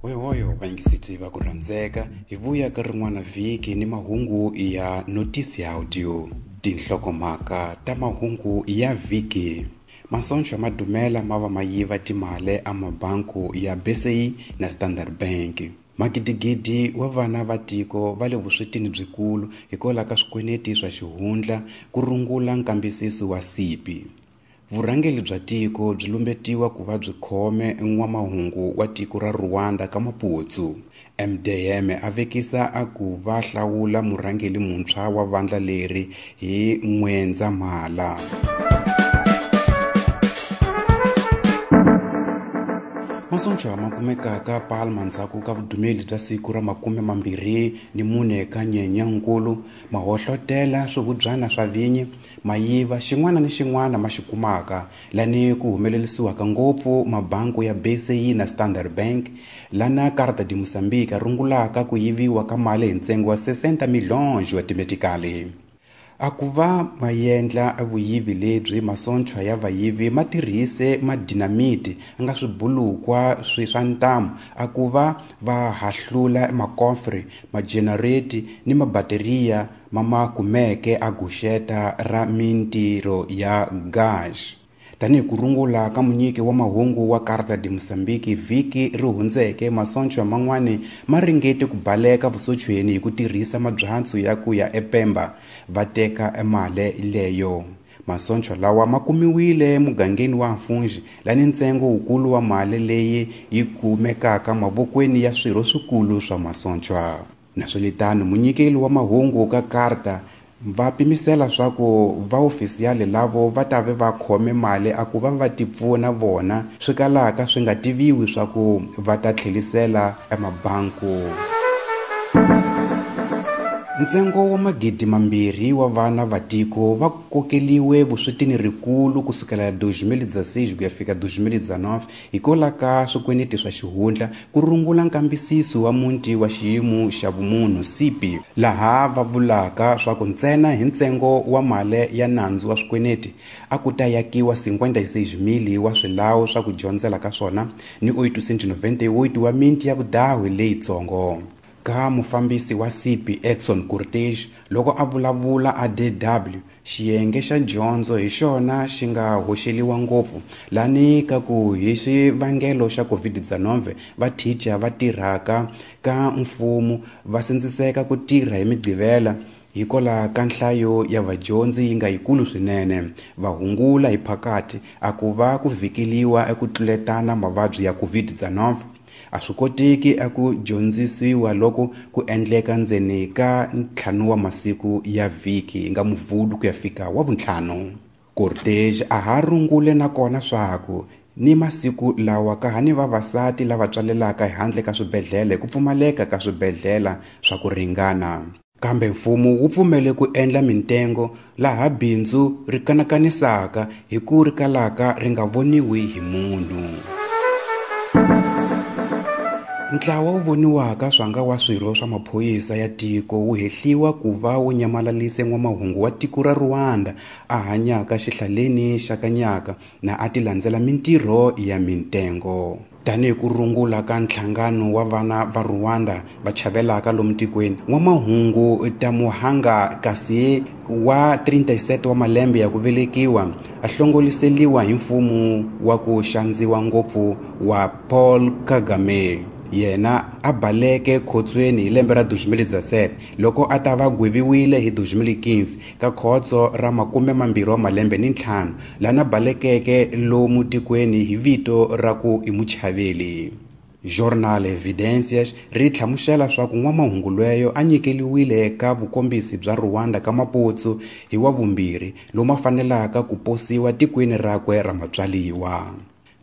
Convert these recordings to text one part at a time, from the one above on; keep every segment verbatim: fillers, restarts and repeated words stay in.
Hoyohoyo vayingiseti va ku rhandzeka hi vuya ka rin'wana vhiki ni mahungu ya Notice Audio. Tinhlokomhaka ta mahungu ya vhiki. Masoncho ma dumela ma va ma yiva timali a mabanku ya B C I na Standard Bank. Magidigidi wa vana va tiko va le vuswetini byikulu hikwalaho ka swikweleti swa xihundla ku rungula nkambisiso wa C I P. Vurhangeri bya tiko byi lumbetiwa ku va byi khome n'wamahungu wa tiko ra Rwanda ka Maputsu. M D M a vekisa a ku va hlawula murhangeri muntshwa wa vandla leri hi N'wendzamhala. Masoncho ma kumekaka Palma ndzhaku ka vudumeli bya siku ra makume mambirhi ni mune ka Nyenyankulu ma hohlotela swihubyana swa vinyi ma yiva xin'wana ni xin'wana ma xi kumaka lani ku humelerisiwaka ngopfu mabanku ya B C I na Standard Bank lana Carta de Moçambique rungulaka ku yiviwa ka mali hi ntsengo wa sessenta milhões wa timetikali. A ku va ma endla vuyivi lebyi masoncho ya vayivi ma tirhise madinamiti a nga swibulukwa swi swa ntamu a ku va va hahlula makofre majenereti ni mabateriya ma ma kumeke a guxeta ra mintirho ya gas. Tanihi ku rungula ka munyiki wa mahungu wa Carta de Moçambique vhiki ri hundzeke masoncho man'wani ma ringete ku baleka vusochweni hi ku tirhisa mabyatsu ya ku ya ePemba va teka mali leyo. Masoncho lawa ma kumiwile mugangeni wa Mfunji lani ntsengo wukulu wa mali leyi yi kumekaka mavokweni ya swirho swikulu swa masoncho. Naswelitano munyikeli wa mahungu ka Carta va pimisela swa ku vaofisiyali lavo va ta ve va khome mali a ku va va ti pfuna vona swi kalaka swi nga tiviwi swa ku va ta tlhelisela emabanku. Ntsengo wa magidi mambirhi wa vana va tiko va kokeliwe vuswetini rikulu kusukela dois mil e dezesseis ku ya fika dois mil e dezenove hikwalaho ka swikweleti swa xihundla ku rungula nkambisiso wa muti wa xiyimo xa vumunhu C I P laha va vulaka swa ku ntsena hi ntsengo wa mali ya nandzu wa swikweleti a ku ta yakiwa cinquenta e seis mil wa swilawu swa ku dyondzela ka swona ni oitocentos e noventa e oito wa miti ya vudahi leyitsongo. Ka mufambisi wa C I P Edson Cortez loko a vulavula a D W xiyenge xa dyondzo hi xona xi nga hoxeliwa ngopfu lani ka ku hi xivangelo xa COVID dezenove va thicha va tirhaka ka mfumo va sindziseka ku tirha hi Migqivela hikwalaho ka nhlayo ya vadyondzi yi nga yikulu swinene va hungula hi phakati a ku va ku vhikeliwa eku tluletana mavabyi ya COVID dezenove. A swi koteki a ku dyondzisiwa loko ku endleka ndzeni ka ntlhanu wa masiku ya vhiki nga Muvhulu ku ya fika wa vuntlhanu. Cortez a ha rungule nakona swaku ni masiku lawa ka ha ni vavasati lava tswalelaka ehandle ka swibedhlele ku pfumaleka ka swibedhlele swa ku ringana. Kambe mfumo wu pfumele ku endla mintengo laha bindzu ri kanakanisaka hi ku ri kalaka ri nga voniwi hi munhu. Ntlawa wu voniwaka swanga wa swirho swa maphorisa ya tiko wu hehliwa ku va wu nyamalalise n'wamahungu wa tiko ra Rwanda a hanyaka xihlaleni xa Kanyaka na a ti landzela mintirho ya mintengo. Tanihi ku rungula ka nhlangano wa vana va Rwanda va chavelaka lomu tikweni n'wamahungu Tamuhanga Kasi wa trinta e sete wa malembe ya ku velekiwa a hlongoliseliwa hi mfumo wa ku xandziwa ngopfu wa Paul Kagame. Yena a baleke khotsweni hi lembe ra dois mil e dezessete loko a ta va gweviwile hi dois mil e quinze ka khotso ra makume mambirhi wa malembe ni ntlhanu lana balekeke lomu tikweni hi vito ra ku i muchaveli. Jornal Evidências ri hlamusela swa ku n'wamahungu lweyo a nyikeliwile ka vukombisi bya Rwanda ka Maputsu hi wa vumbirhi lomu a fanelaka ku posiwa tikweni rakwe ra matswaliwa.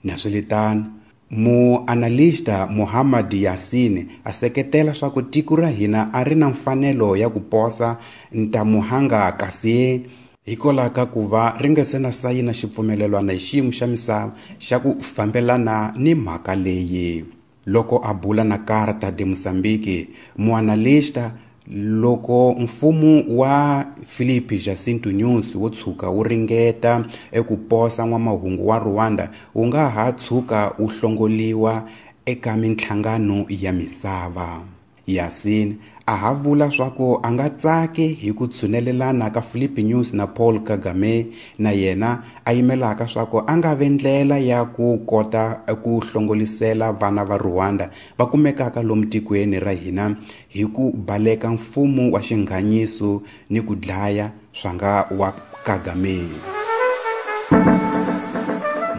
Naswelitano muanalista Muhammad Yasin a seketela swa ku tiko ra hina a ri na mfanelo ya ku posa Ntamuhanga Kasi hikwalaho ka ku va ri nga se na sayina xipfumelelwana hi xiyimo xa misava xa ku fambelana ni mhaka leyi. Loko a bula na Carta de Moçambique, muanalista Loko mfumo wa Filipe Jacinto Nyusi wo tshuka wu ringeta eku posa n'wamahungu wa Rwanda, wu nga ha tshuka wu hlongoliwa eka minhlangano ya misava. Yasin a ha vula swaku a nga tsaki hi ku tshunelelana ka Filipe Nyusi na Paul Kagame, na yena a yimelaka swaku a nga ve ndlela ya ku kota ku hlongolisela vana va Rwanda va kumekaka lomu tikweni ra hina hi ku baleka mfumo wa xinghanyiso ni ku dlaya swa nga wa Kagame.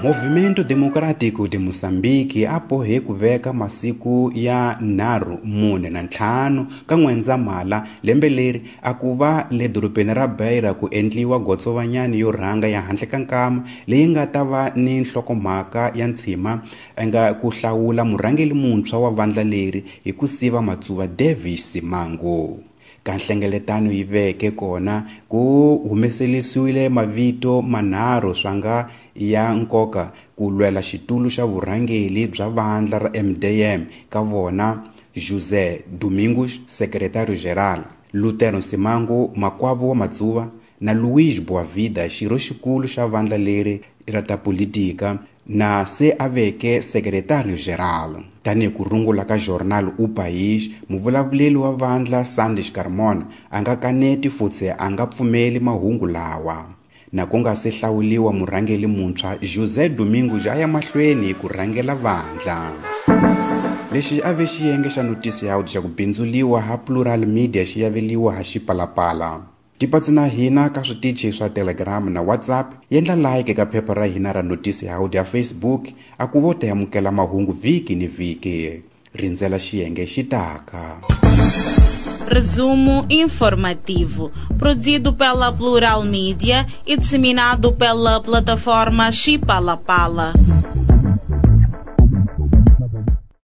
Movimento Democrático de Moçambique apohe ku veka masiku ya nharhu mune na ntlhanu ka N'wendzamhala lembe leri a ku va le dorobeni ra Beira ku endliwa gotsovanyani yo rhanga ya handle ka nkama leyi nga ta va ni nhlokomhaka ya ntshima nga ku hlawula murhangeri muntshwa wa vandla leri hi ku siva Matsuva Davis Simango. Ka nhlengeletano yi veke kona ku humeselisiwile mavito manharhu swa nga ya nkoka ku lwela xitulu xa vurhangeri bya vandla ra M D M ka vona José Domingos, secretario geral, Lutero Simango, makwavo wa Matsuva, na Luís Boavida, xirho xikulu xa vandla leri ra ta politika na se a veke secretario geral. Tanihi ku rungula ka Jornal O País, muvulavuleri wa vandla Sandes Carmona a nga kaneti futsi a nga pfumeli mahungu lawa. Na ku nga se hlawuliwa murhangeri muntshwa, José Domingos a ya mahlweni ku rhangela vandla. Lexi a ve xiyenge xa Noticias xa ku bindzuliwa ha Plural Media xi yaveliwa ha Xipalapala. Tipatsi na hina ka switichi swa Telegram na WhatsApp, yendla like ka phepha ra hina ra Noticias ya Facebook, a ku vo ta amukela mahungu vhiki ni vhiki. Rindzela xiyenge xi taka. Resumo informativo, produzido pela Plural Media e disseminado pela plataforma Xipalapala.